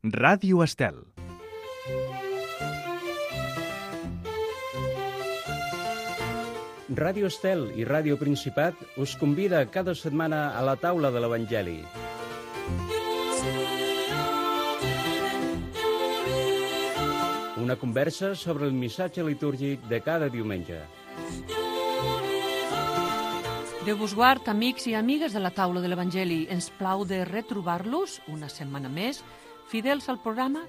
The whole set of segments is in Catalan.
Ràdio Estel. Ràdio Estel i Ràdio Principat us convida cada setmana a la taula de l'Evangeli. Una conversa sobre el missatge litúrgic de cada diumenge. Déu vos guard, amics i amigues de la taula de l'Evangeli. Ens plau de retrobar-los una setmana més, fidels al programa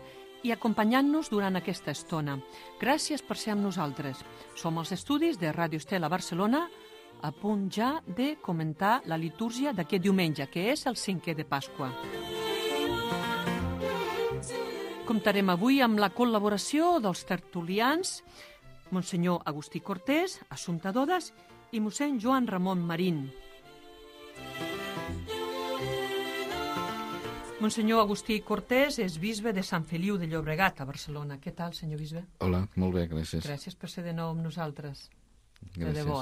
i acompanyant-nos durant aquesta estona. Gràcies per ser amb nosaltres. Som als estudis de Ràdio Estel a Barcelona, a punt ja de comentar la litúrgia d'aquest diumenge, que és el 5è de Pasqua. Comptarem avui amb la col·laboració dels tertulians, Monsenyor Agustí Cortés, Assumpta Dodes, i mossèn Joan Ramon Marín. Monsenyor Agustí Cortés és bisbe de Sant Feliu de Llobregat, a Barcelona. Què tal, senyor bisbe? Hola, molt bé, gràcies. Gràcies per ser de nou amb nosaltres. Gràcies. De debò,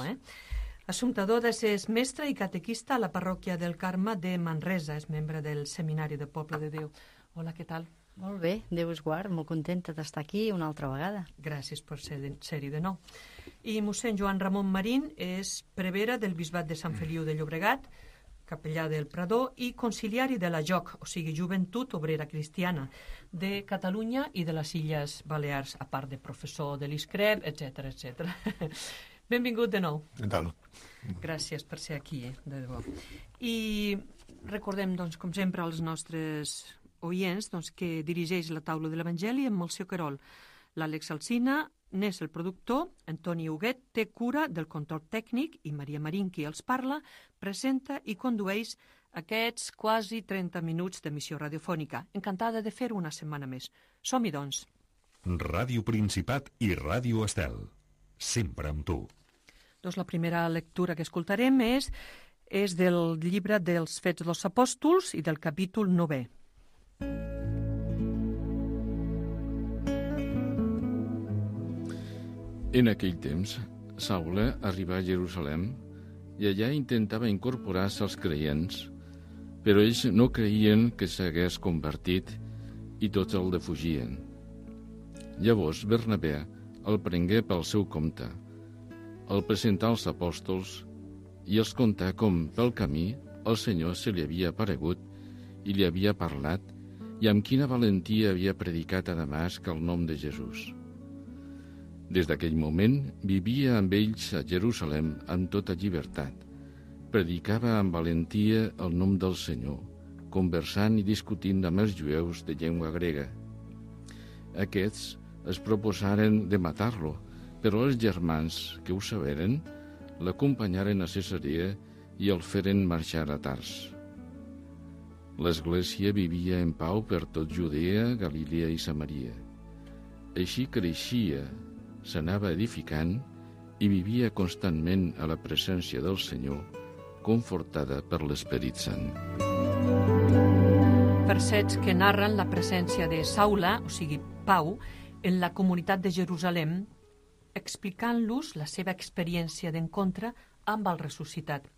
Assumpta Dodes és mestra i catequista a la parròquia del Carme de Manresa. És membre del Seminari de Poble de Déu. Hola, què tal? Molt bé, Déu us guard, molt contenta d'estar aquí una altra vegada. Gràcies per ser-hi de nou. I mossèn Joan Ramon Marín és prevere del bisbat de Sant Feliu de Llobregat, capellà del Prador i conciliari de la JOC, o sigui, Joventut Obrera Cristiana, de Catalunya i de les Illes Balears, a part de professor de l'ISCREP, etc etc. Benvingut de nou. Què tal? Gràcies per ser aquí, de debò. I recordem, doncs, com sempre, als nostres oients, doncs, que dirigeix la taula de l'Evangeli amb Melcior Querol. L'Àlex Alsina n'és el productor, Antoni Huguet té cura del control tècnic i Maria Marín, qui els parla, presenta i condueix aquests quasi 30 minuts d'emissió radiofònica. Encantada de fer-ho una setmana més. Som-hi, doncs. Ràdio Principat i Ràdio Estel. Sempre amb tu. Doncs la primera lectura que escoltarem és del llibre dels Fets dels Apòstols i del capítol 9è. En aquell temps, Saul arribà a Jerusalem i allà intentava incorporar-se als creients, però ells no creien que s'hagués convertit i tots el defugien. Llavors Bernabé el prengué pel seu compte, el presentà als apòstols i els contà com pel camí el Senyor se li havia aparegut i li havia parlat i amb quina valentia havia predicat a Damasc el nom de Jesús. Des d'aquell moment vivia amb ells a Jerusalem amb tota llibertat. Predicava amb valentia el nom del Senyor, conversant i discutint amb els jueus de llengua grega. Aquests es proposaren de matar-lo, però els germans que ho saberen l'acompanyaren a Cesarea i el feren marxar a Tars. L'Església vivia en pau per tot Judea, Galilea i Samaria. Així creixia, s'anava edificant i vivia constantment a la presència del Senyor, confortada per l'Esperit Sant. Versets que narren la presència de Saula, o sigui, Pau, en la comunitat de Jerusalem, explicant-los la seva experiència d'encontre amb el ressuscitat.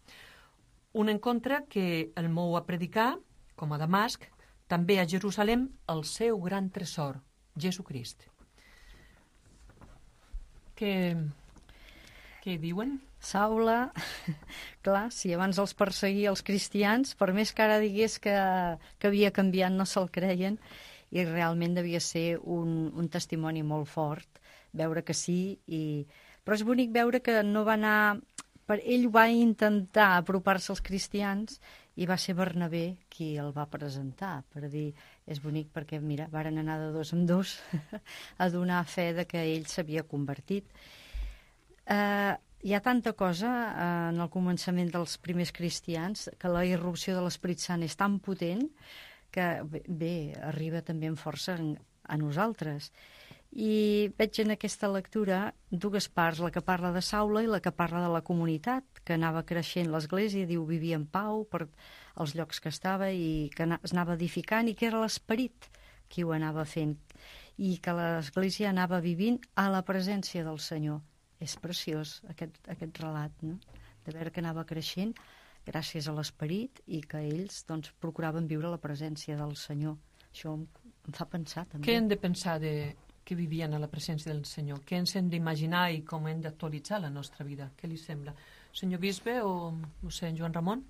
Un encontre que el mou a predicar, com a Damasc, també a Jerusalem, el seu gran tresor, Jesucrist. Què diuen? Saula, clar, si abans els perseguia els cristians, per més que ara digués que havia canviat, no se'l creien, i realment devia ser un testimoni molt fort, veure que sí, però és bonic veure que no va anar... Ell va intentar apropar-se als cristians i va ser Bernabé qui el va presentar, per dir, és bonic perquè, mira, varen anar de dos en dos a donar fe de que ell s'havia convertit. Hi ha tanta cosa en el començament dels primers cristians que la irrupció de l'Esperit Sant és tan potent que, bé, arriba també amb força a nosaltres. I veig en aquesta lectura dues parts, la que parla de Saula i la que parla de la comunitat, que anava creixent l'Església, diu, vivia en pau per els llocs que estava i que es anava edificant, i que era l'Esperit qui ho anava fent, i que l'Església anava vivint a la presència del Senyor. És preciós aquest relat, no? De veure que anava creixent gràcies a l'Esperit i que ells doncs, procuraven viure la presència del Senyor. Això Em fa pensar, també. Què hem de pensar que vivien a la presència del Senyor? Què ens hem d'imaginar i com hem d'actualitzar la nostra vida? Què li sembla? Senyor bisbe o, no sé, en Joan Ramon?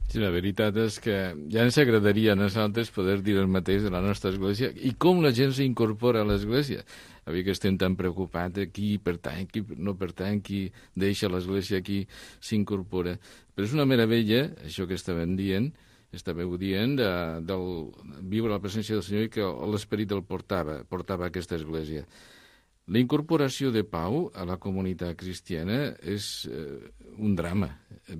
Sí, la veritat és que ja ens agradaria a nosaltres poder dir el mateix de la nostra església i com la gent s'incorpora a l'església. Avui que estem tan preocupats de qui pertany, qui no pertany, qui deixa l'església, qui s'incorpora. Però és una meravella, això que estàveu dient, del viure a la presència del Senyor i que l'Esperit el portava a aquesta església. La incorporació de Pau a la comunitat cristiana és un drama,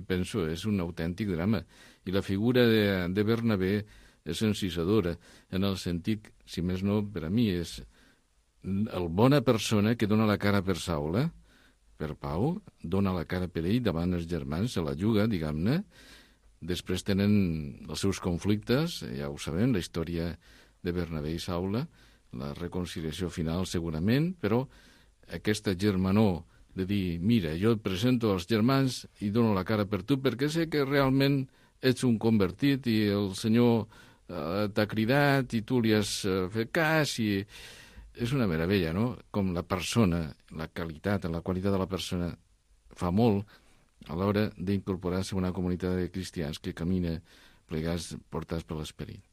penso, és un autèntic drama. I la figura de Bernabé és encisadora, en el sentit, si més no, per a mi, és el bona persona que dona la cara per Saula, per Pau, dona la cara per ell davant els germans, se la juga, diguem-ne. Després tenen els seus conflictes, ja ho sabem, la història de Bernabé i Saula, la reconciliació final segurament, però aquesta germanor de dir, mira, jo et presento als germans i dono la cara per tu perquè sé que realment ets un convertit i el Senyor t'ha cridat i tu li has fet cas i és una meravella, no? Com la persona, la qualitat de la persona fa molt a l'hora d'incorporar-se a una comunitat de cristians que camina plegats, portats per l'Esperit.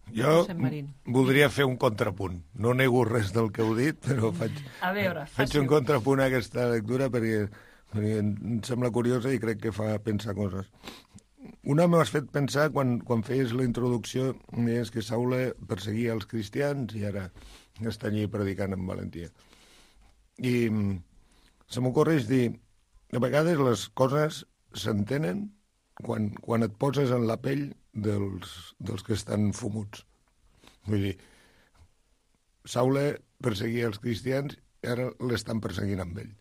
Jo voldria fer un contrapunt. No nego res del que heu dit, però faig un contrapunt a aquesta lectura perquè em sembla curiosa i crec que fa pensar coses. Una m'has fet pensar quan feies la introducció, és que Saula perseguia els cristians i ara està allí predicant amb valentia. I se m'ocorreix dir, a vegades les coses s'entenen quan et poses en la pell dels que estan fumuts. Vull dir, Saula perseguia els cristians i ara l'estan perseguint amb ell.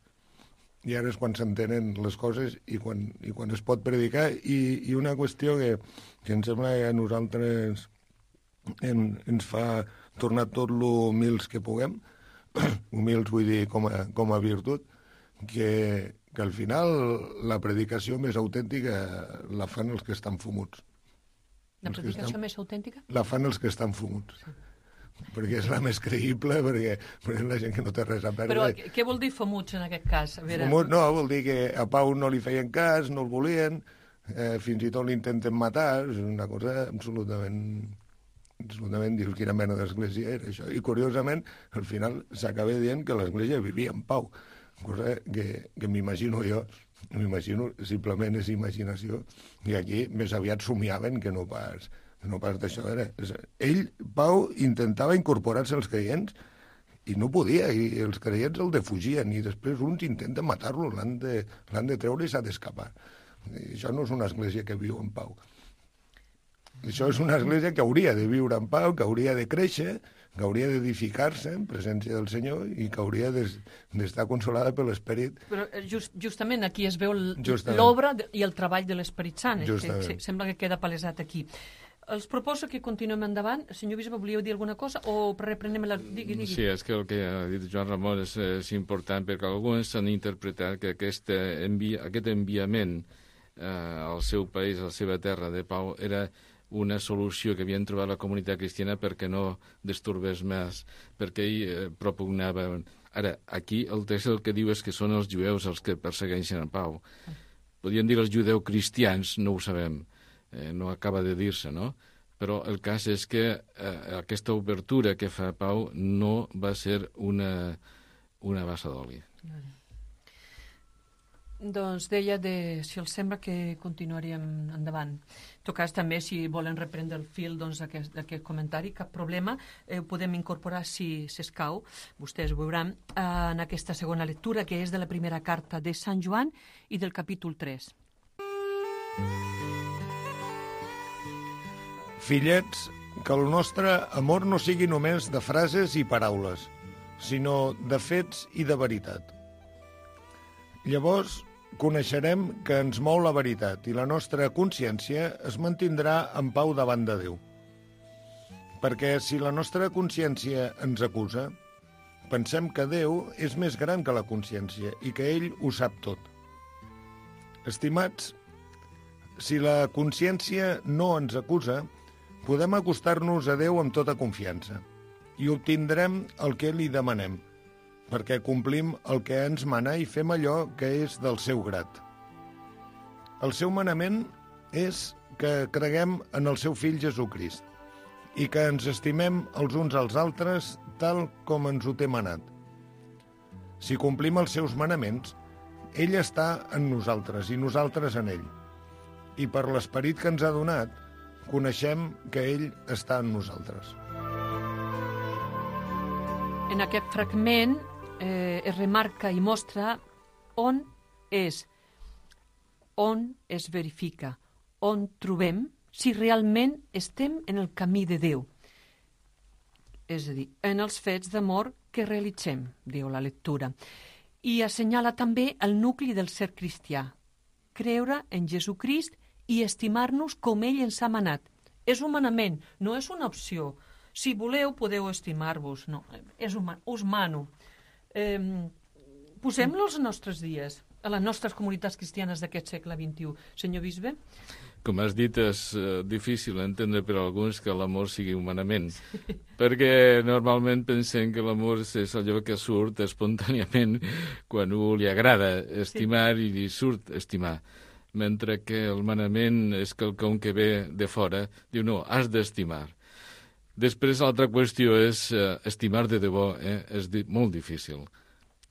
I ara és quan s'entenen les coses i quan es pot predicar. I una qüestió que em sembla que a nosaltres ens fa tornar tot lo humils que puguem, humils vull dir com a virtut, que al final la predicació més autèntica la fan els que estan fumuts. La predicació més autèntica? La fan els que estan fumuts. Sí. Perquè és la més creïble, perquè la gent que no té res a perdre. Però què vol dir fumuts en aquest cas? A veure... Fumuts no, vol dir que a Pau no li feien cas, no el volien, fins i tot l'intenten matar, és una cosa absolutament dius quina mena d'església era això. I curiosament, al final s'acaba dient que l'església vivia en pau, cosa que m'imagino jo, simplement és imaginació, i aquí més aviat somiaven que no pas d'això. Ell, Pau, intentava incorporar-se als creients i no podia, i els creients el defugien, i després uns intenten matar-lo, l'han de treure i s'ha d'escapar. Això no és una església que viu en pau. Això és una església que hauria de viure en pau, que hauria de créixer, que hauria d'edificar-se en presència del Senyor i que hauria d'estar consolada per l'Esperit. Però justament aquí es veu l'obra i el treball de l'Esperit Sant. Sembla que queda palesat aquí. Els proposo que continuem endavant. Senyor bisbe, volíeu dir alguna cosa o reprenem la... Digui. Sí, és que el que ha dit Joan Ramon és important perquè alguns han interpretat que aquest enviament al seu país, a la seva terra de Pau, era una solució que havien trobat la comunitat cristiana perquè no disturbés més, perquè ell propugnava... Ara, aquí el text el que diu és que són els jueus els que persegueixen a Pau. Podríem dir els judeus cristians, no ho sabem, no acaba de dir-se, no? Però el cas és que aquesta obertura que fa Pau no va ser una bassa d'oli. Doncs deia, si els sembla, que continuaríem endavant. En tot cas, també, si volen reprendre el fil d'aquest comentari, cap problema, ho podem incorporar si s'escau. Vostès ho veuran en aquesta segona lectura, que és de la primera carta de Sant Joan i del capítol 3. Fillets, que el nostre amor no sigui només de frases i paraules, sinó de fets i de veritat. Llavors coneixerem que ens mou la veritat i la nostra consciència es mantindrà en pau davant de Déu. Perquè si la nostra consciència ens acusa, pensem que Déu és més gran que la consciència i que ell ho sap tot. Estimats, si la consciència no ens acusa, podem acostar-nos a Déu amb tota confiança i obtindrem el que li demanem, perquè complim el que ens mana i fem allò que és del seu grat. El seu manament és que creguem en el seu fill Jesucrist i que ens estimem els uns als altres tal com ens ho té manat. Si complim els seus manaments, ell està en nosaltres i nosaltres en ell. I per l'esperit que ens ha donat, coneixem que ell està en nosaltres. En aquest fragment es remarca i mostra on es verifica, on trobem si realment estem en el camí de Déu. És a dir, en els fets d'amor que realitzem, diu la lectura. I assenyala també el nucli del ser cristià, creure en Jesucrist i estimar-nos com ell ens ha manat. És un manament, no és una opció. Si voleu, podeu estimar-vos. No, us mano. Posem-lo als nostres dies, a les nostres comunitats cristianes d'aquest segle XXI. Senyor bisbe? Com has dit, és difícil entendre per alguns que l'amor sigui un manament, perquè normalment pensem que l'amor és allò que surt espontàniament quan a algú li agrada estimar i li surt estimar, mentre que el manament és quelcom que ve de fora, diu no, has d'estimar. Després l'altra qüestió és estimar de debò, és molt difícil.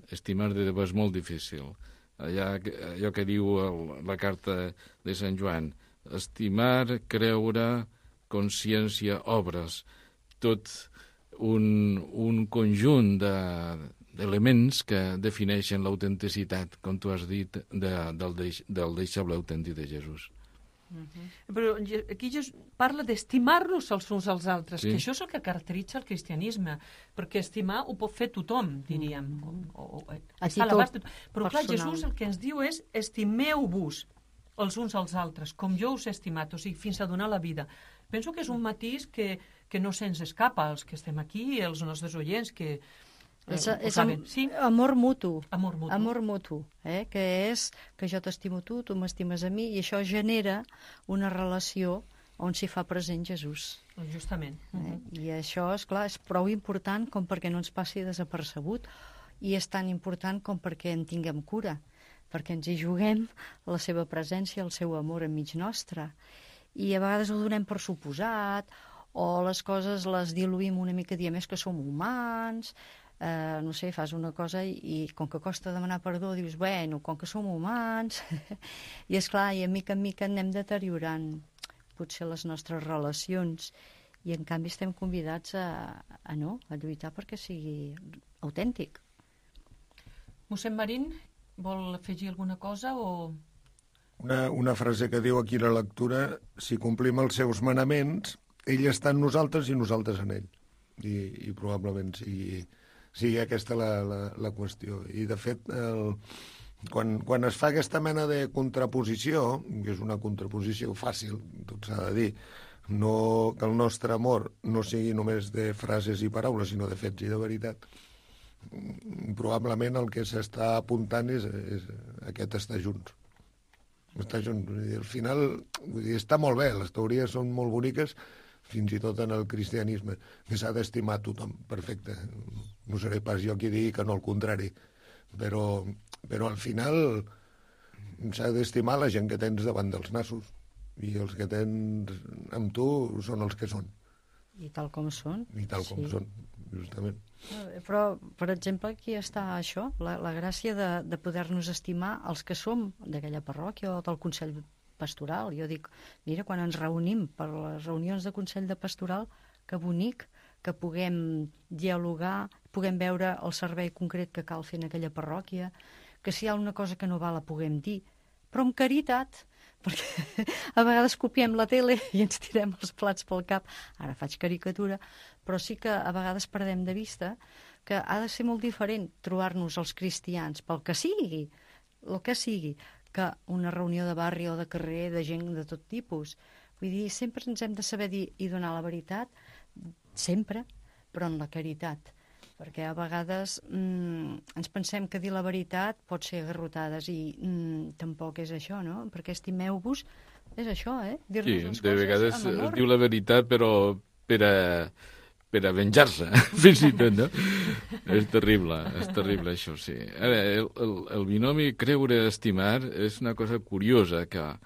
Estimar de debò és molt difícil. Allò que diu la carta de Sant Joan, estimar, creure, consciència, obres, tot un conjunt d'elements que defineixen l'autenticitat, com tu has dit, del deixeble autèntic de Jesús. Però aquí parla d'estimar-nos els uns als altres, sí. Que això és el que caracteritza el cristianisme, perquè estimar ho pot fer tothom, diríem. Però clar, Jesús el que ens diu és estimeu-vos els uns als altres, com jo us he estimat, o sigui, fins a donar la vida. Penso que és un matís que no se'ns escapa als que estem aquí i als nostres oients, que és amor mutu. Amor mutu, que és que jo t'estimo tu m'estimes a mi, i això genera una relació on s'hi fa present Jesús. Justament. I això, és clar, és prou important com perquè no ens passi desapercebut, i és tan important com perquè en tinguem cura, perquè ens hi juguem la seva presència, el seu amor enmig nostre. I a vegades ho donem per suposat, o les coses les diluïm una mica, diem és que som humans, no sé, fas una cosa i com que costa demanar perdó dius, bueno, com que som humans i esclar, i a mica en mica anem deteriorant potser les nostres relacions, i en canvi estem convidats a lluitar perquè sigui autèntic. Mossèn Marín, vol afegir alguna cosa o...? Una frase que diu aquí la lectura, si complim els seus manaments, ell està en nosaltres i nosaltres en ell. I probablement sigui aquesta la qüestió. I, de fet, quan es fa aquesta mena de contraposició, que és una contraposició fàcil, tot s'ha de dir, no que el nostre amor no sigui només de frases i paraules, sinó de fets i de veritat, probablement el que s'està apuntant és aquest estar junts. Estar junts. Al final, està molt bé, les teories són molt boniques, fins i tot en el cristianisme, que s'ha d'estimar tothom, perfecte. No seré pas jo qui digui que no, al contrari. Però al final s'ha d'estimar la gent que tens davant dels nassos, i els que tens amb tu són els que són. I tal com són. I tal com són, justament. Però, per exemple, aquí està això, la gràcia de poder-nos estimar els que som d'aquella parròquia o del Consell Pastoral. Jo dic, mira, quan ens reunim per les reunions de Consell de Pastoral, que bonic que puguem dialogar, puguem veure el servei concret que cal fer en aquella parròquia, que si hi ha una cosa que no va la puguem dir, però amb caritat, perquè a vegades copiem la tele i ens tirem els plats pel cap. Ara faig caricatura, però sí que a vegades perdem de vista que ha de ser molt diferent trobar-nos els cristians pel que sigui, el que sigui, que una reunió de barri o de carrer de gent de tot tipus. Vull dir, sempre ens hem de saber dir i donar la veritat, sempre, però en la caritat. Perquè a vegades ens pensem que dir la veritat pot ser garrotades i tampoc és això, no? Perquè estimeu-vos És això, dir-nos les coses. Sí, de vegades es diu la veritat, però per a venjar-se, fins i tot, no? És terrible això, sí. Ara, el binomi creure-estimar és una cosa curiosa que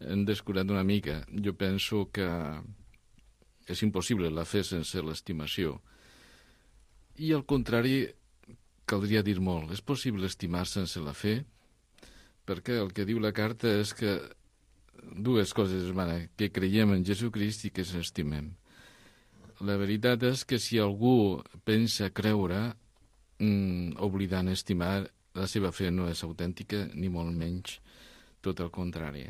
hem descurat una mica. Jo penso que és impossible la fe sense l'estimació. I al contrari, caldria dir molt. És possible estimar sense la fe? Perquè el que diu la carta és que dues coses, que creiem en Jesucrist i que ens estimem. La veritat és que si algú pensa creure, oblidant estimar, la seva fe no és autèntica, ni molt menys, tot el contrari.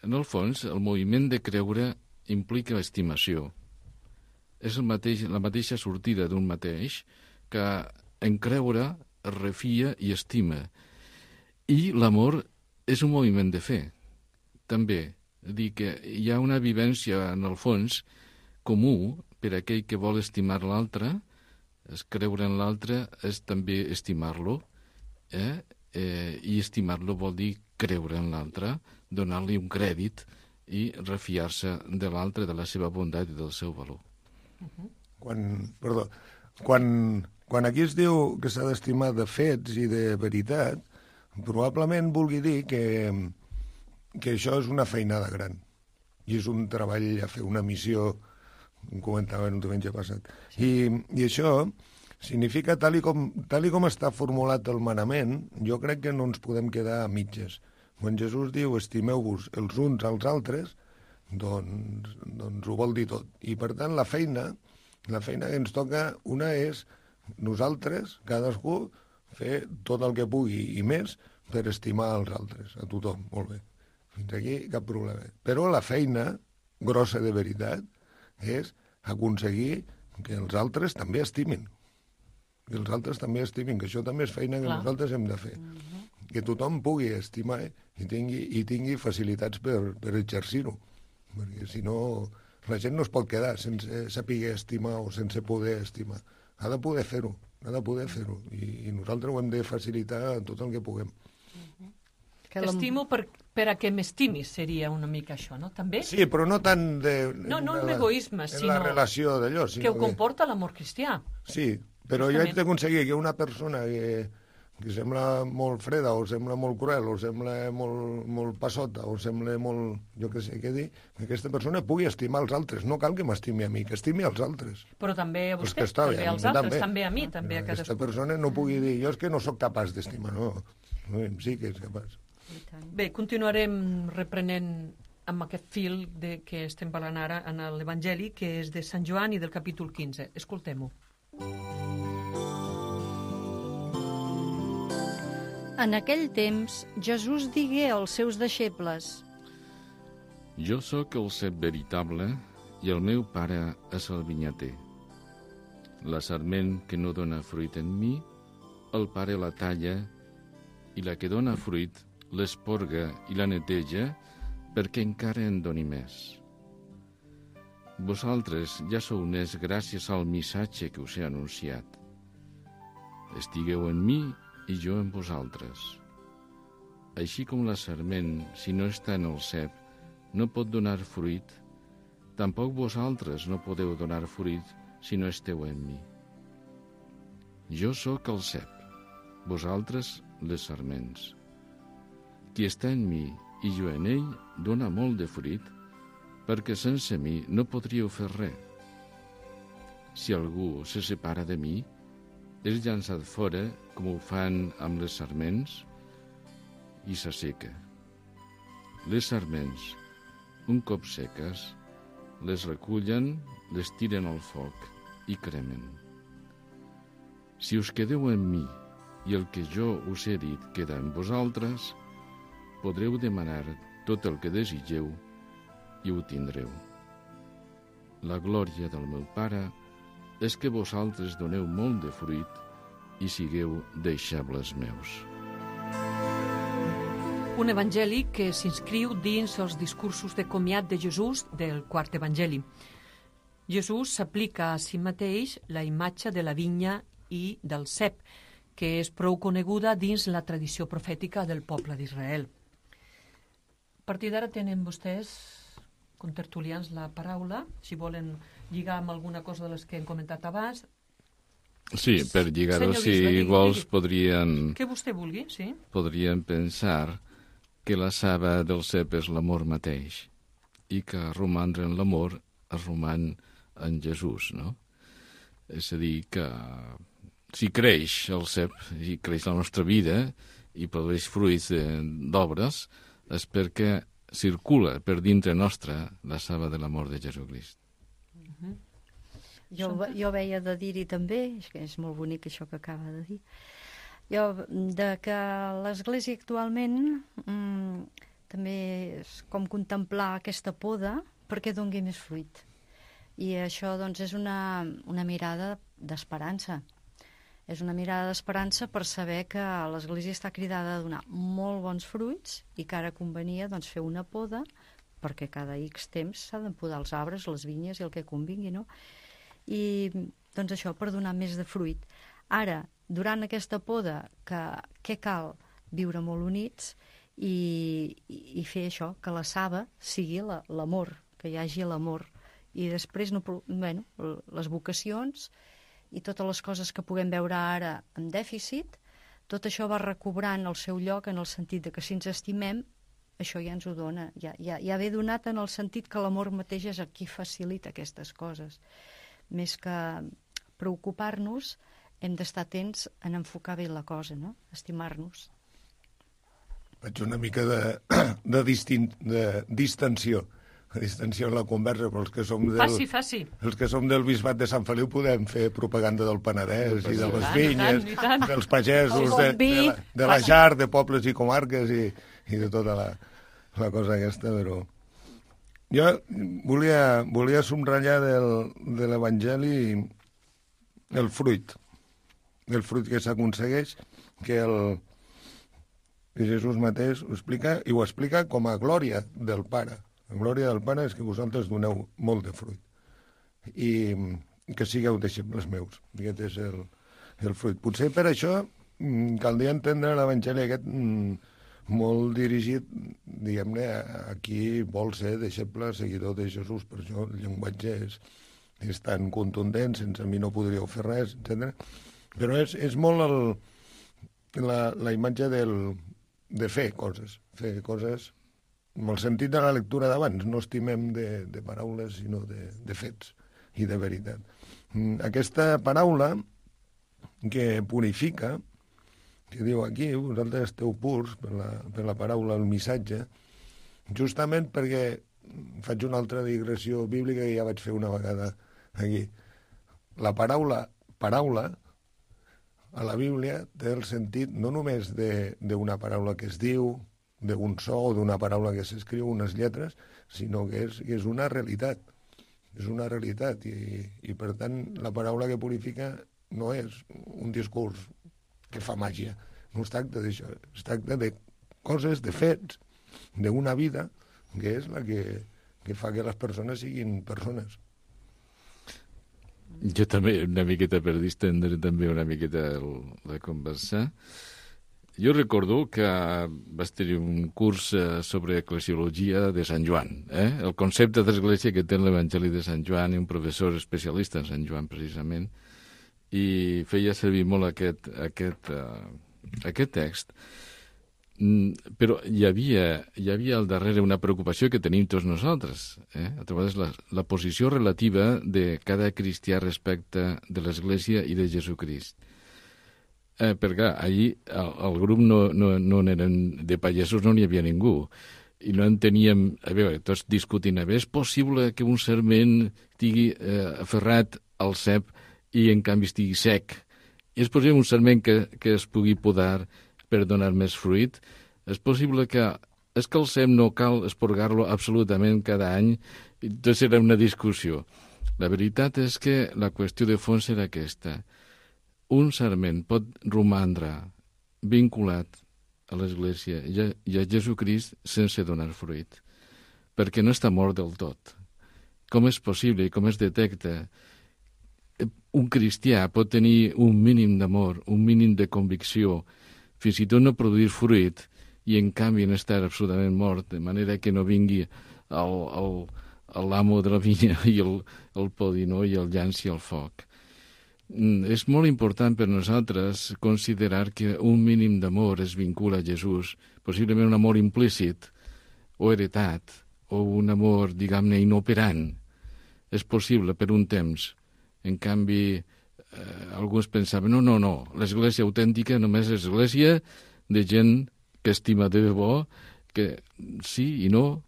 En el fons, el moviment de creure implica estimació. És la mateixa sortida d'un mateix que en creure es refia i estima. I l'amor és un moviment de fe, també. Dir que hi ha una vivència, en el fons, comú per a aquell que vol estimar l'altre. És creure en l'altre és també estimar-lo, i estimar-lo vol dir creure en l'altre, donar-li un crèdit i refiar-se de l'altre, de la seva bondat i del seu valor. Quan aquí es diu que s'ha d'estimar de fets i de veritat, probablement vulgui dir que això és una feinada gran i és un treball a fer, una missió, ho comentàvem un diumenge passat. I això significa, tal i com està formulat el manament, jo crec que no ens podem quedar a mitges. Quan Jesús diu estimeu-vos els uns als altres, doncs ho vol dir tot. I per tant la feina que ens toca, una és nosaltres, cadascú, fer tot el que pugui i més per estimar els altres, a tothom, molt bé. Fins aquí cap problema. Però la feina grossa de veritat és aconseguir que els altres també estimin. Que els altres també estimin, que això també és feina que nosaltres hem de fer. Que tothom pugui estimar i tingui facilitats per exercir-ho. Perquè si no, la gent no es pot quedar sense saber estimar o sense poder estimar. Ha de poder fer-ho, I nosaltres ho hem de facilitar tot el que puguem. T'estimo per a que m'estimis, seria una mica això, no? També? Sí, però no tant no en egoisme, sinó... En la relació d'allò. Que ho comporta l'amor cristià. Sí, però jo haig d'aconseguir que una persona que sembla molt freda, o sembla molt cruel, o sembla molt passota, o sembla molt... jo què sé què dir, que aquesta persona pugui estimar els altres. No cal que m'estimi a mi, que estimi als altres. Però també a vostè, també als altres, també a mi, també a cadascú. Aquesta persona no pugui dir, jo és que no sóc capaç d'estimar, no. Sí que és capaç. Bé, continuarem reprenent amb aquest fil que estem parlant ara en l'Evangeli, que és de Sant Joan i del capítol 15. Escoltem-ho. En aquell temps, Jesús digué als seus deixebles: Jo sóc el cep veritable i el meu pare és el vinyater. La sarment que no dona fruit en mi, el pare la talla, i la que dona fruit l'esporga i la neteja perquè encara en doni més. Vosaltres ja sou nets gràcies al missatge que us he anunciat. Estigueu en mi i jo en vosaltres. Així com la sarment, si no està en el cep, no pot donar fruit, tampoc vosaltres no podeu donar fruit si no esteu en mi. Jo sóc el cep, vosaltres les sarments. Qui està en mi i jo en ell dona molt de fruit, perquè sense mi no podríeu fer res. Si algú se separa de mi, és llançat fora, com ho fan amb les sarments, i s'asseca. Les sarments, un cop seques, les recullen, les tiren al foc i cremen. Si us quedeu en mi i el que jo us he dit queda en vosaltres, podreu demanar tot el que desitgeu i ho tindreu. La glòria del meu Pare és que vosaltres doneu molt de fruit i sigueu deixebles meus. Un evangeli que s'inscriu dins els discursos de comiat de Jesús del quart evangeli. Jesús s'aplica a si mateix la imatge de la vinya i del cep, que és prou coneguda dins la tradició profètica del poble d'Israel. A partir d'ara tenen vostès, contertulians, la paraula, si volen lligar amb alguna cosa de les que hem comentat abans. Sí, per lligar-ho, si vols, podrien... Que vostè vulgui, sí. Podrien pensar que la saba del cep és l'amor mateix i que romandre en l'amor es roman en Jesús, no? És a dir, que si creix el cep, si creix la nostra vida i produeix fruits d'obres, és perquè circula per dintre nostra la saba de l'amor de Jesucrist. Jo veia de dir-hi també, és molt bonic això que acaba de dir, de que l'Església actualment també és com contemplar aquesta poda perquè doni més fruit. I això doncs és una mirada d'esperança. És una mirada d'esperança per saber que l'Església està cridada a donar molt bons fruits i que ara convenia doncs, fer una poda perquè cada X temps s'ha de podar els arbres, les vinyes i el que convingui, no? I doncs això, per donar més de fruit. Ara, durant aquesta poda, què cal? Viure molt units i fer això, que la saba sigui l'amor, que hi hagi l'amor. I després, les vocacions i totes les coses que puguem veure ara en dèficit, tot això va recobrant el seu lloc en el sentit de que si ens estimem, això ja ens ho dona. Ja ve donat en el sentit que l'amor mateix és el qui facilita aquestes coses. Més que preocupar-nos, hem d'estar atents en enfocar bé la cosa, no? Estimar-nos. Faig una mica de distensió en la conversa, però els que som els que som del Bisbat de Sant Feliu podem fer propaganda del Penedès i de les vinyes, dels pagesos, de la llar, de pobles i comarques i de tota la cosa aquesta, però... Jo volia subratllar de l'Evangeli el fruit que s'aconsegueix, que Jesús mateix ho explica, i ho explica com a glòria del Pare. La glòria del Pare és que vosaltres doneu molt de fruit i que sigueu deixebles meus. Aquest és el fruit. Potser per això caldria entendre l'Evangeli aquest molt dirigit, diguem-ne, a qui vol ser deixeble, seguidor de Jesús. Per això el llenguatge és tan contundent, sense mi no podríeu fer res, etc. Però és molt la imatge de fer coses amb el sentit de la lectura d'abans. No estimem de paraules, sinó de fets i de veritat. Aquesta paraula que purifica, que diu aquí, vosaltres esteu purs per la paraula, el missatge, justament perquè faig una altra digressió bíblica que ja vaig fer una vegada aquí. La paraula a la Bíblia té el sentit no només d'una paraula que es diu, d'un so o d'una paraula que s'escriu, unes lletres, sinó que és una realitat. És una realitat i per tant la paraula que purifica no és un discurs que fa màgia. No es tracta d'això, es tracta de coses, de fets, d'una vida, que és la que fa que les persones siguin persones. Jo també, una miqueta per distendre també una miqueta la conversa. Jo recordo que vas tenir un curs sobre eclesiologia de Sant Joan, el concepte d'església que té l'Evangeli de Sant Joan, i un professor especialista en Sant Joan, precisament, i feia servir molt aquest text, però hi havia al darrere una preocupació que tenim tots nosaltres, a través de la posició relativa de cada cristià respecte de l'Església i de Jesucrist. Perquè allí el grup no eren de pagesos, no n'hi havia ningú, i no enteníem, a veure, tots discutint, és possible que un sarment estigui aferrat al cep i en canvi estigui sec? És possible un sarment que es pugui podar per donar més fruit? És possible que el cep no cal esporgar-lo absolutament cada any? Entonces era una discussió. La veritat és que la qüestió de fons era aquesta. Un sarment pot romandre vinculat a l'Església i a Jesucrist sense donar fruit, perquè no està mort del tot. Com és possible i com es detecta? Un cristià pot tenir un mínim d'amor, un mínim de convicció, fins i tot no produir fruit, i en canvi en estar absolutament mort, de manera que no vingui l'amo de la vinya i el podinó i el llanci al foc. És molt important per nosaltres considerar que un mínim d'amor es vincula a Jesús, possiblement un amor implícit o heretat, o un amor, diguem-ne, inoperant. És possible per un temps. En canvi, alguns pensaven, no, l'església autèntica només és església de gent que estima de debò, que sí i no.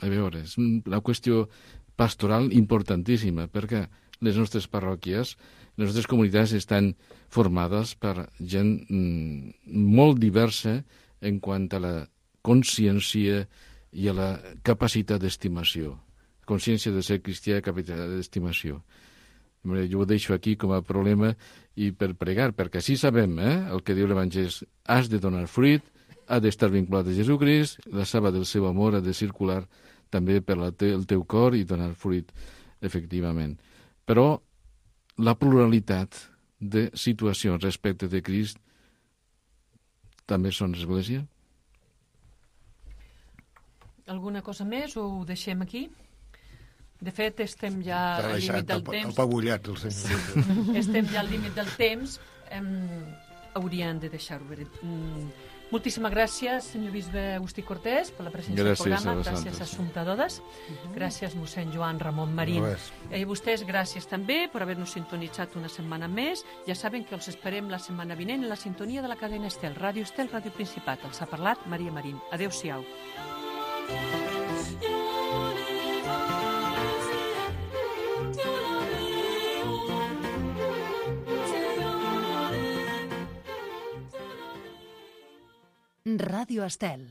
A veure, és una qüestió pastoral importantíssima, perquè les nostres parròquies, les nostres comunitats estan formades per gent molt diversa en quant a la consciència i a la capacitat d'estimació. Consciència de ser cristià i capacitat d'estimació. Jo ho deixo aquí com a problema i per pregar, perquè així sabem el que diu l'Evangeli. Has de donar fruit, ha d'estar vinculat a Jesucrist, la saba del seu amor ha de circular també per el teu cor i donar fruit, efectivament. Però la pluralitat de situacions respecte de Crist també són església? Alguna cosa més o ho deixem aquí? De fet, estem ja al límit del temps. Està apabullat, el senyor. Sí, estem ja al límit del temps. Haurien de deixar-ho bé. Moltíssimes gràcies, senyor bisbe Agustí Cortés, per la presència al programa. Gràcies a Assumpta Dodes. Gràcies, mossèn Joan Ramon Marín. I a vostès, gràcies també per haver-nos sintonitzat una setmana més. Ja saben que els esperem la setmana vinent en la sintonia de la cadena Estel, Ràdio Estel, Ràdio Principat. Els ha parlat Maria Marín. Adéu-siau. Ràdio Estel.